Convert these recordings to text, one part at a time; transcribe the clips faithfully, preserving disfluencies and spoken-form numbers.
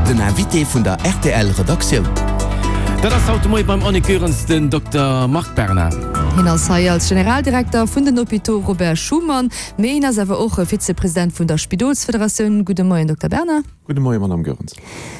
Den Invité vun der R T L Redaktioun. Dat ass haut de Moie beim Annick Goerens den Dokter Marc Berna. Hien ass hei als Generaldirekter vun den Hôpitaux Robert Schuman, mee hien ass awer och Vizepresident vun der Spidolsfederatioun. Gudde Moien, Dokter Berna. Gudde Moien, Madame Goerens.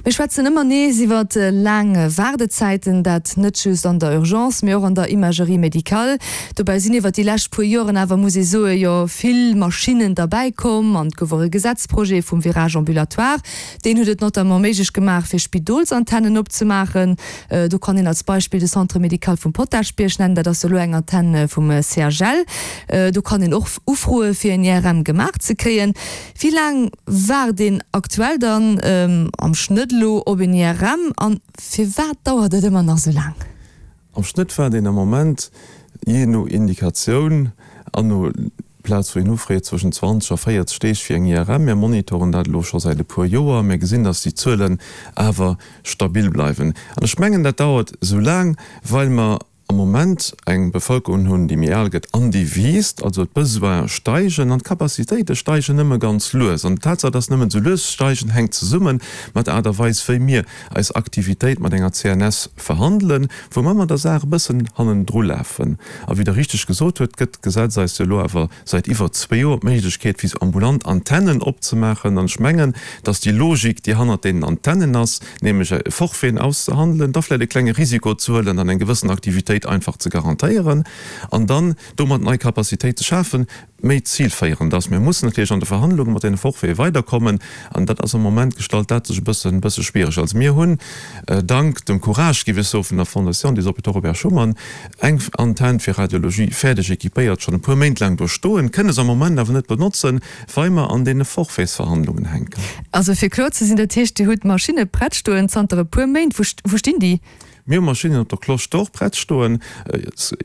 Mir schwätzen ëmmer nees iwwer laang Waardezäiten, dat net just an der Urgence, mee och an der Imagerie médicale. Dobäi sinn iwwer déi lescht puer Joren awer, muss ee soen, jo vill Maschinnen derbäi komm an et gouf och e Gesetzprojet vum Virage ambulatoire. Deen huet et notamment méiglech gemaach, fir Spidolsantennen opzemaachen. Do kann een als Beispill de Centre médical vum Potaschbierg nennen, dat ass elo eng Antenn vum C H L. Do kann een och ufroe fir en I R M gemaach ze kréien. Wéi laang waart een aktuell dann am Schnëtt elo op en I R M an firwat dauert et ëmmer nach esou laang? Am Schnëtt waart een am Moment jee no Indikatioun an no Plaz wou een ufreet zwëschen zwanzeg a véierzeg Deeg fir eng I R M. Mir monitoren dat elo scho säit e puer Joer. Mir gesinn, datt déi Zuelen awer stabil bleiwen. An ech mengen, dat dauert esou laang, well mer am Moment eng Bevëlkerung hunn, déi méi al gëtt an déi wiisst, also d'Besoine steigen an d'Capacitéite steigen nëmme ganz lues. An d'Tatsaach, datt se nëmmen esou lues steigen, hänkt zesumme mat der Aart a Weis, wéi mir eis Aktivitéit mat enger C N S verhandelen, wou mer mat der Saach e bëssen hannendru lafen. A wéi Der richteg gesot hutt, gëtt d'Gesetz eis jo elo awer säit iwwer zwee Joer d'Méiglechkeet, fir esou ambulant Antennen opzemaachen. An ech mengen, datt déi Logik, déi hannert deenen Antennen ass, nämlech e Forfaiten auszehandelen, da vläicht e klenge Risiko ze huelen an eng gewëssen Aktivitéit einfach ze garantéieren an dann domat nei Capacitéit ze schafen, méi zilféierend ass. Mir mussen natierlech an de Verhandlunge mat deene Forfaite weiderkommen an dat ass am Moment gestalt dat sech e bëssen, bësse schwiereg. Also mir hunn, dank dem Courage, géif ech soen, vun der Fondation des Hôpitaux Robert Schuman eng Antenn fir Radiologie fäerdeg équipéiert, schonn e puer Méint laang do stoen, kënne se am Moment awer net benotzen, well mer an deene Forfaitsverhandlungen hänken. Also fir kloer ze sinn, dat heescht, Dir hutt Maschinne prett stoen zanter e puer Méint. Wou stinn déi? Mir hu Maschinnen op der Cloche d'Or prett stoen,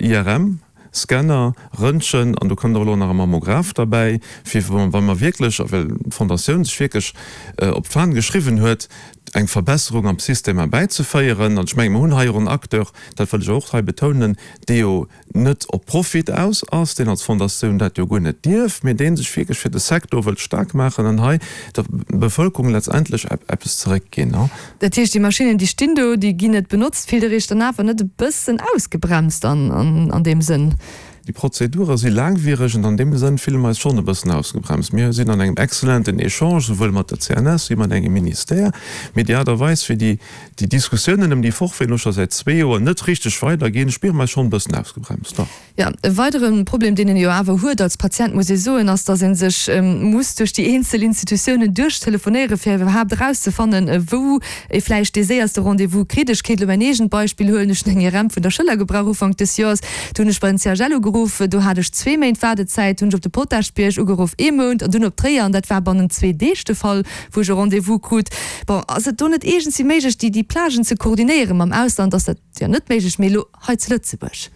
I R M, Scanner, Röntgen an do kënnt och elo nach e Mammograph derbäi, fir wa mer wierklech, a well d'Fondatioun sech wierklech op d'Fan geschriwwen huet, eng Verbesserung am System erbäizeféieren. An ech mengen, mer hunn hei och en Acteur, dat wëll ech och hei betounen, dee jo net op Profit aus ass, deen als Fondatioun dat jo guer net dierf, mee dee sech wierklech fir de Secteur wëllt staark maachen an hei der Bevëlkerung letztendlech eppes zeréckginn. Dat heescht, déi Maschinnen, déi stinn do, déi ginn net benotzt. Fillt Der Iech dann awer net e bëssen ausgebremst an deem Sënn? Déi Prozedure si laangwiereg an an deem Sënn fille mer eis schonn e bëssen ausgebremst. Mir sinn an engem exzellenten Echange, souwuel mat der C N S wéi mat engem Ministère, mee déi Aart a Weis, wéi déi déi Diskussiounen ëm déi Forfaiten elo scho säit zwee Joer net richteg weiderginn, spiere mer eis schonn e bëssen ausgebremst, dach. Jo, e weidere Problem, deen een jo awer huet als Patient, muss ee soen, ass, dass ee sech muss duerch déi eenzel Institutiounen duerchtelefonéieren, fir iwwerhaapt erauszefannen, wou ee vläicht dee séierste Rendez-vous kritt. Ech kéint elo mäin eegent Beispill huelen, Ech hunn eng I R M vun der Schëller gebrauch Ufank des Joers. Do hunn ech bei den C H L ugeruff, do hat ech zwee Méint Waardezäit, hunn ech op de Potaschbierg ugeruff, ee Mount, an dunn op Tréier, an dat war bannent zwee Deeg de Fall, wou ech e Rendez-vous krut. Bon, ass et do net iergendwéi méiglech, déi Plagen ze koordinéieren? Mam Ausland ass dat jo net méiglech, mee elo hei zu Lëtzebuerg?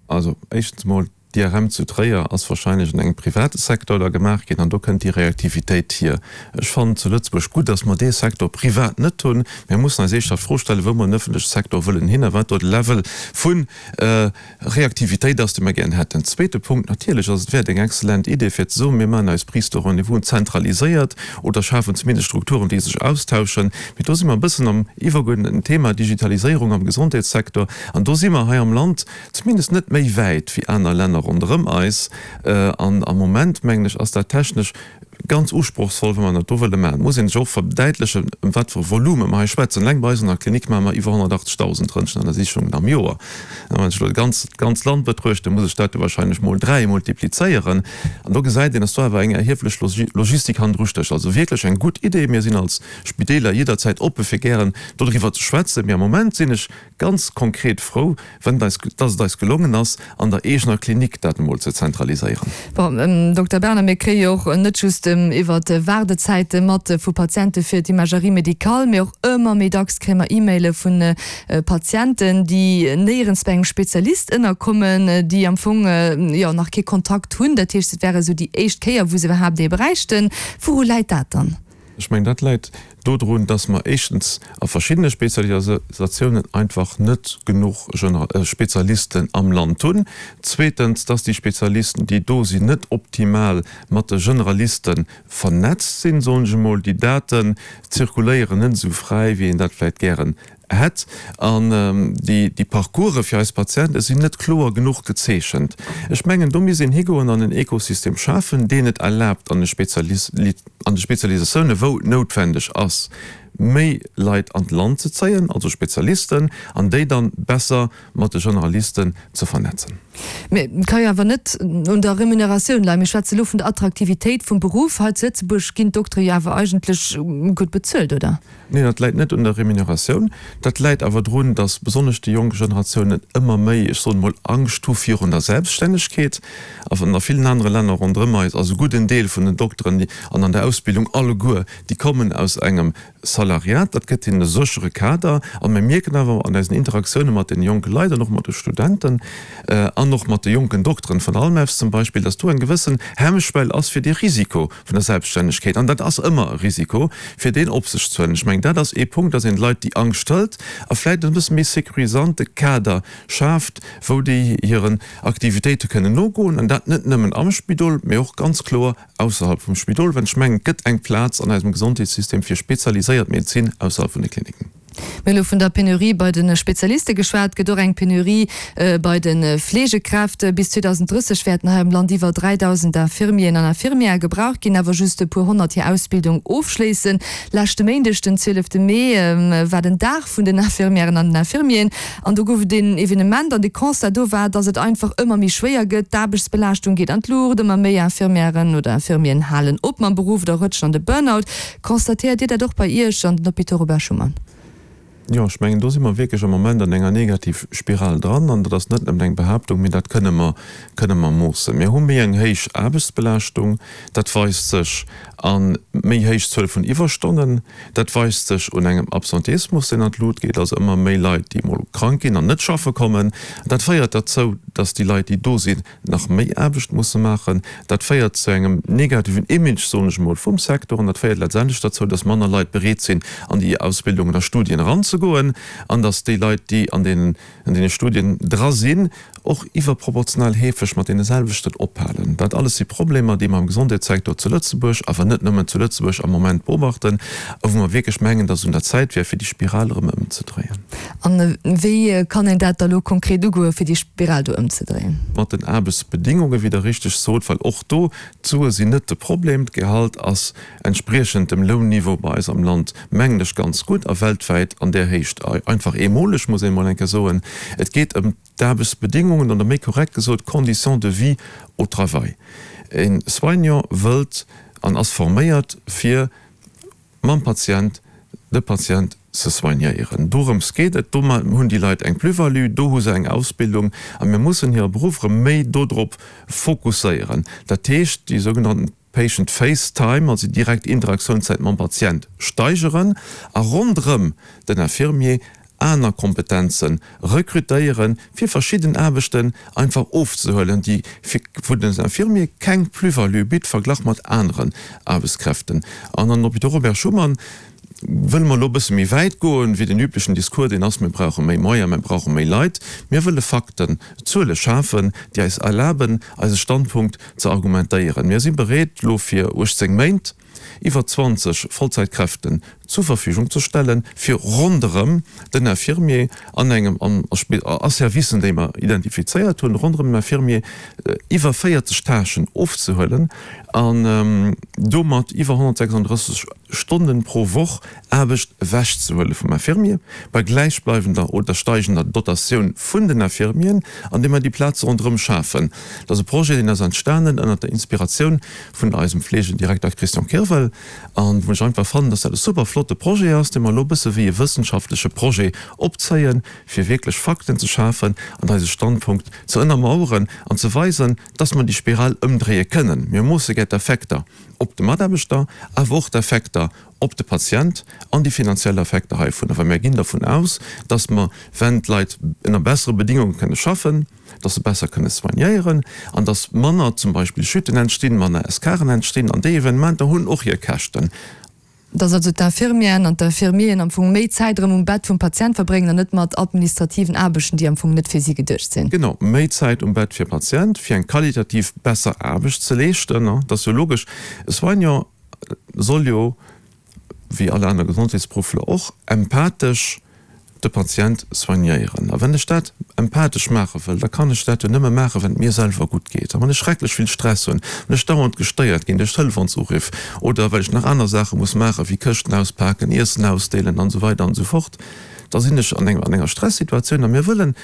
Also éischtens mol, d'I R M zu Tréier ass wahrscheinlech an engem private Secteur da gemaach ginn an do kënnt déi Reaktivitéit hier. Ech fannen zu Lëtzebuerg gutt, datt mer dee Secteur privat net hunn. Mir mussen eis éischter d'Fro stellen, wou mer den öffentleche Secteur wëllen hin a wat do de Level vu Reaktivitéit ass, dee mer gären hätten. Zweete Punkt, natierlech ass et, wär et eng exzellent Idee fir ze soen, mir maachen eis Prise de rendez-vous zentraliséiert oder schafen zumindest Strukturen, déi sech austauschen. Mee do si mer e bëssen am iwwergeuerdneten Thema Digitaliséierung am Gesondheetssecteur an do si mer hei am Land zumindest net méi wäit wéi aner Länner ronderëm eis. An am Moment, mengen ech, ass dat technesch ganz usprochsvoll, wa mer dat do wëlle maachen. Et muss een sech och verdäitlechen, ëm wat fir e Volume mer hei schwätzen. Eleng bei eis an der Klinik maache mer iwwer honnertachtzegdausend Röntgenuntersichungen am Joer. A wann ech elo d'ganz Land betruechten, muss ech dat jo wahrscheinlech mol dräi multiplizéieren. An do gesäit een, dass do awer eng erhieflech Logistik hannendru stécht. Also wierklech eng gutt Idee. Mir sinn als Spideeler jidderzäit oppe fir gären dodriwwer ze schwätzen. Mee am Moment sinn ech ganz konkret frou, wenn et eis, dass et eis gelongen ass, an der eegener Klinik dat emol ze zentraliséieren. Bon, Dokter Berna, mir kréie jo och net just iwwer Waardezäite mat vu Patiente fir d'Imagerie médicale, mee och ëmmer méi dacks kréie mer E-Maile vu Patienten, déi néierens bei engem Spezialist ënnerkommen, déi am Fong jo nach kee Kontakt hunn. Dat heescht, et wär esou déi éischt Kéier, wou se iwwerhaapt ee bräichten. Wouru läit dat dann? Ech mengen, dat läit dodrun, dass mer éischtens a verschiddene Spezialisatiounen einfach net genuch Spezialisten am Land hunn, zweetens, dass déi Spezialisten, déi do sinn, net optimal mat de Generaliste vernetzt sinn, soen ech emol, déi Daten zirkuléieren net esou fräi, wéi een dat vläicht gären hätt, an déi Parcourse fir eis Patiente sinn net kloer genuch gezeechent. Ech mengen, do misst een higoen an en Ekosystem schafen, deen et erlaabt, an de Spezialisatiounen, wou et noutwendeg ass, méi Leit an d'Land ze zéien, also Spezialisten, an déi dann besser mat de Generalisten ze vernetzen. Mee et ka jo awer net un der Remuneratioun leien. Mir schwätze lo vun der Attraktivitéit vum Beruff. Hei zu Lëtzebuerg ginn d'Doktere jo awer eigentlech gutt bezuelt, oder? Neen, dat läit net un der Remuneratioun. Dat läit awer drun, datt besonnesch déi jonk Generatiounen ëmmer méi, ech soen emol, Angscht hu virun der Selbststännegkeet. A a villen anere Länner ronderëm eis ass e gudden Deel vun den Dokteren, déi an an der Ausbildung alleguer, déi kommen aus engem Salariat. Dat gëtt hinnen e séchere Kader. A mir mierken awer an eisen Interaktioune mat deene jonke Leit an och mat de Studenten an och mat de jonken Dokteren vun Almefs zum Beispill, datt do eng gewëssen Hemmschwell ass fir dee Risiko vun der Selbststännegkeet. An dat ass ëmmer e Risiko, fir deen op sech ze huelen. Ech mengen, dat ass ee Punkt, datt een de Leit déi Angscht hëlt a vläicht en bësse méi sécurisante Kader schaaft, wou déi hiren Aktivitéite kënnen nogoen, an dat net nëmmen am Spidol, mee och ganz kloer ausserhalb vum Spidol, well ech mengen, et gëtt eng Plaz an eisem Gesondheetssystem fir spezialiséiert Medezin ausserhalb vun de Kliniken. Mir hu lo vun der Penurie bei de Spezialiste geschwat. Et gëtt och eng Penurie bei de Fleegekräfte. Bis zweedausenddrësseg wäerten hei am Land iwwer dräidausend Infirmieren an Infirmièrë gebraucht ginn, awer just e puer honnert hir Ausbildung ofschléissen. Leschte Méindeg, den zwielefte Mee, war den Dag vun den Infirmièren an den Infirmieren an do gouf et een Evenement an de Constat do war, dass et einfach ëmmer méi schwéier gëtt, d'Aarbechtsbelaaschtung geet an d'Luucht, ëmmer méi Infirmièren oder Infirmieren halen op mam Beruff oder rëtschen an de Burnout. Constatéiert Dir dat och bei Iech an den Hôpitaux Robert Schuman? Jo, ech mengen, do si mer wierklech am Moment an enger Negativspiral dran. An dat ass net nëmmen eng Behaaptung, mee dat kënne mer, kënne mer moossen. Mir hu méi eng héich Aarbechtsbelaaschtung. Dat weist sech a méi héich Zuel vun Iwwerstonnen. Dat weist sech un engem Absenteismus, deen an d'Lut geet, also ëmmer méi Leit, déi emol krank ginn an net schaffe kommen. Dat féiert derzou, dass déi Leit, déi do sinn, nach méi Aarbecht musse maachen. Dat féiert zu engem negativen Image, soen ech emol, vum Secteur an dat féiert letztendlech derzou, dass manner Leit bereet sinn, an déi Ausbildungen a Studien eranzegoen an dass déi Leit, déi an deenen, an deene Studien dra sinn, och iwwerproportional heefeg mat deene selwechten ophalen. Dat alles si Problemer, déi mer am Gesondheetssecteur zu Lëtzebuerg, awer net nëmmen zu Lëtzebuerg, am Moment beobachten a wou mer wierklech mengen, dass et un der Zäit wär, fir déi Spiral erëm ëmzedréien. An wéi kann een dat da lo konkret ugoen, fir déi Spiral do ëmzedréien? Mat den Aarbechtsbedingungen, wéi Der richteg sot, well och do, d'Sue sinn net de Problem, d'Gehalt ass entspriechend dem Lounniveau bei eis am Land, mengen ech, ganz gutt a weltwäit an där Héicht einfach eemoleg, muss een emol eng Kéier soen. Et geet ëm d'Aarbechtsbedingungen oder méi korrekt gesot d'Conditions de vie au travail. E Soignant wëllt an ass forméiert, fir mam Patient, de Patient ze soignéieren. Dorëms geet et. Do hunn déi Leit eng Plus-value, do hu se eng Ausbildung a mir mussen hire Beruff erëm méi dodrop fokusséieren. Dat heescht, déi sougenannten Patient Face Time, also déi direkt Interaktionszäit mam Patient steigeren a ronderëm den Infirmier aner Kompetenze rekrutéieren, fir verschidden Aarbechten einfach ofzehuelen, déi fir wou den Infirmier keng Plus-value bitt, verglach mat aneren Aarbechtskräften. An an Hôpitaux Robert Schuman wëlle mer elo e bësse méi wäit goen, wéi den üblechen Discours, deen ass, mir brauche méi Moyens, mir brauche méi Leit. Mir wëlle Fakten, Zuele schafen, déi eis erlaben, eise Standpunkt ze argumentéieren. Mir si bereet, elo fir uechtzéng Méint iwwer zwanzeg Vollzäitkräften zur Verfügung ze stellen, fir ronderëm den Infirmier an engem, an a Servicen, déi mer identifizéiert hunn, ronderëm den Infirmier iwwer véierzeg Tâchen ofzehuelen an domat iwwer honnertsechsunddrësseg Stonnen pro Woch Aarbecht ewechzehuele vum Infirmier, bei gläichbleiwender oder steigender Dotatioun vun den Infirmieren, andeem mer déi Plaze ronderëm schafen. Dat ass e Projet, deen ass entstanen ënnert der Inspiratioun vun eisem Fleegedirekter Christian Kirwel an wou ech einfach fannen, dass dat e super flotte Projet ass, dee mer elo e bësse wéi e wëssenschaftleche Projet opzéien, fir wierklech Fakten ze schafen an eise Standpunkt ze ënnermaueren an ze weisen, dass mer déi Spiral ëmdréie kënnen. Mir moosse gär d'Effekter op de Mataarbechter, awer och d'Effekter op de Patient an déi finanziell Effekter heivunner, well mir ginn dervun aus, dass mer, wenn d'Leit ënner bessere Bedingunge kënne schaffen, dass se besser kënne soignéieren an dass manner zum Beispill Chuten entstinn, manner Escaren entstinn. An déi Evenementer hunn och hir Käschten. Dass also d'Infirmieren an d'Infirmieren am Fong méi Zäit erëm um Bett vum Patient verbréngen an net mat administrativen Aarbechten, déi am Fong net fir si geduecht sinn. Genau, méi Zäit um Bett fir Patient, fir eng qualitativ besser Aarbecht ze leeschten. Dat ass jo logesch. E Soignant soll jo, wéi all aner Gesondheetsberuffler och, empathesch de Patient soignéieren. A wann ech dat empathesch maache wëll, da kann ech dat jo nëmme maachen, wann et mir selwer gutt geet. A wann ech schrecklech vill Stress hunn, wann ech dauernd gestéiert ginn duerch Telefonsuruff oder well ech nach aner Saache muss maachen, wéi Këschten auspaken, Iessen ausdeelen an esou weider an esou fort, da sinn ech an enger Stressituatioun. A mir wëllen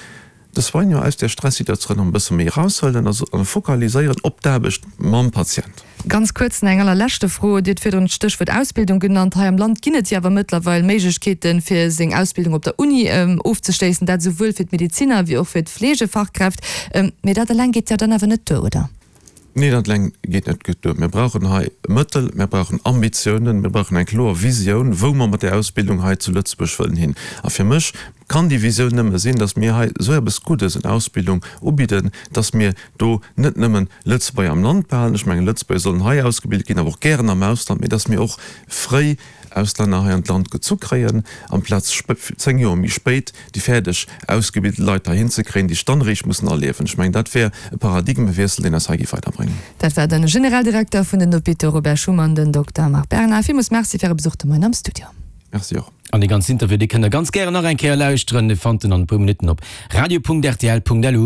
de Soignant aus där Stressituatioun e bësse méi eraushuelen a focaliséieren op d'Aarbecht mam Patient. Ganz kuerz nach eng allerleschte Fro, Dir hutt virdrun d'Stéchwuert Ausbildung genannt. Hei am Land ginn et jo awer mëttlerweil Méiglechkeeten, fir seng Ausbildung op der Uni ofzeschléissen, dat esouwuel fir d'Medeziner wéi och fir d'Fleegefachkräft. Mee dat eleng geet jo dann awer net duer, oder? Nee, dat eleng geet net gutt duer. Mir brauchen hei Mëttel, mir brauchen Ambitiounen, mir brauchen eng kloer Visioun, wou mer mat där Ausbildung hei zu Lëtzebuerg wëllen hin. A fir mech kann déi Visioun nëmme sinn, dass mir hei esou eppes Guddes un Ausbildung ubidden, dass mir do net nëmmen Lëtzebuerger am Land behalen, ech mengen, Lëtzebuerger sollen hei ausgebilt ginn, awer och gären am Ausland, mee dass mir och fréi Auslänner hei an d'Land gezu kréien, amplaz zéng Joer méi spéit déi fäerdeg ausgebilte Leit heihin ze kréien, déi sech dann eréischt mussen aliewen. Ech mengen, dat wär e Paradigmewiessel, deen eis hei géif weiderbréngen. Dat war de Generaldirekter vun den Hôpitaux Robert Schuman, den Dokter Marc Bernard. Villmools Merci fir Äre Besuch de Moien am Studio. Merci och. An dee ganzen Interview, dee kënnt der ganz gären nach eng Kéier lauschteren. Dee fannt en an e puer Minutten op radio.rtl.lu.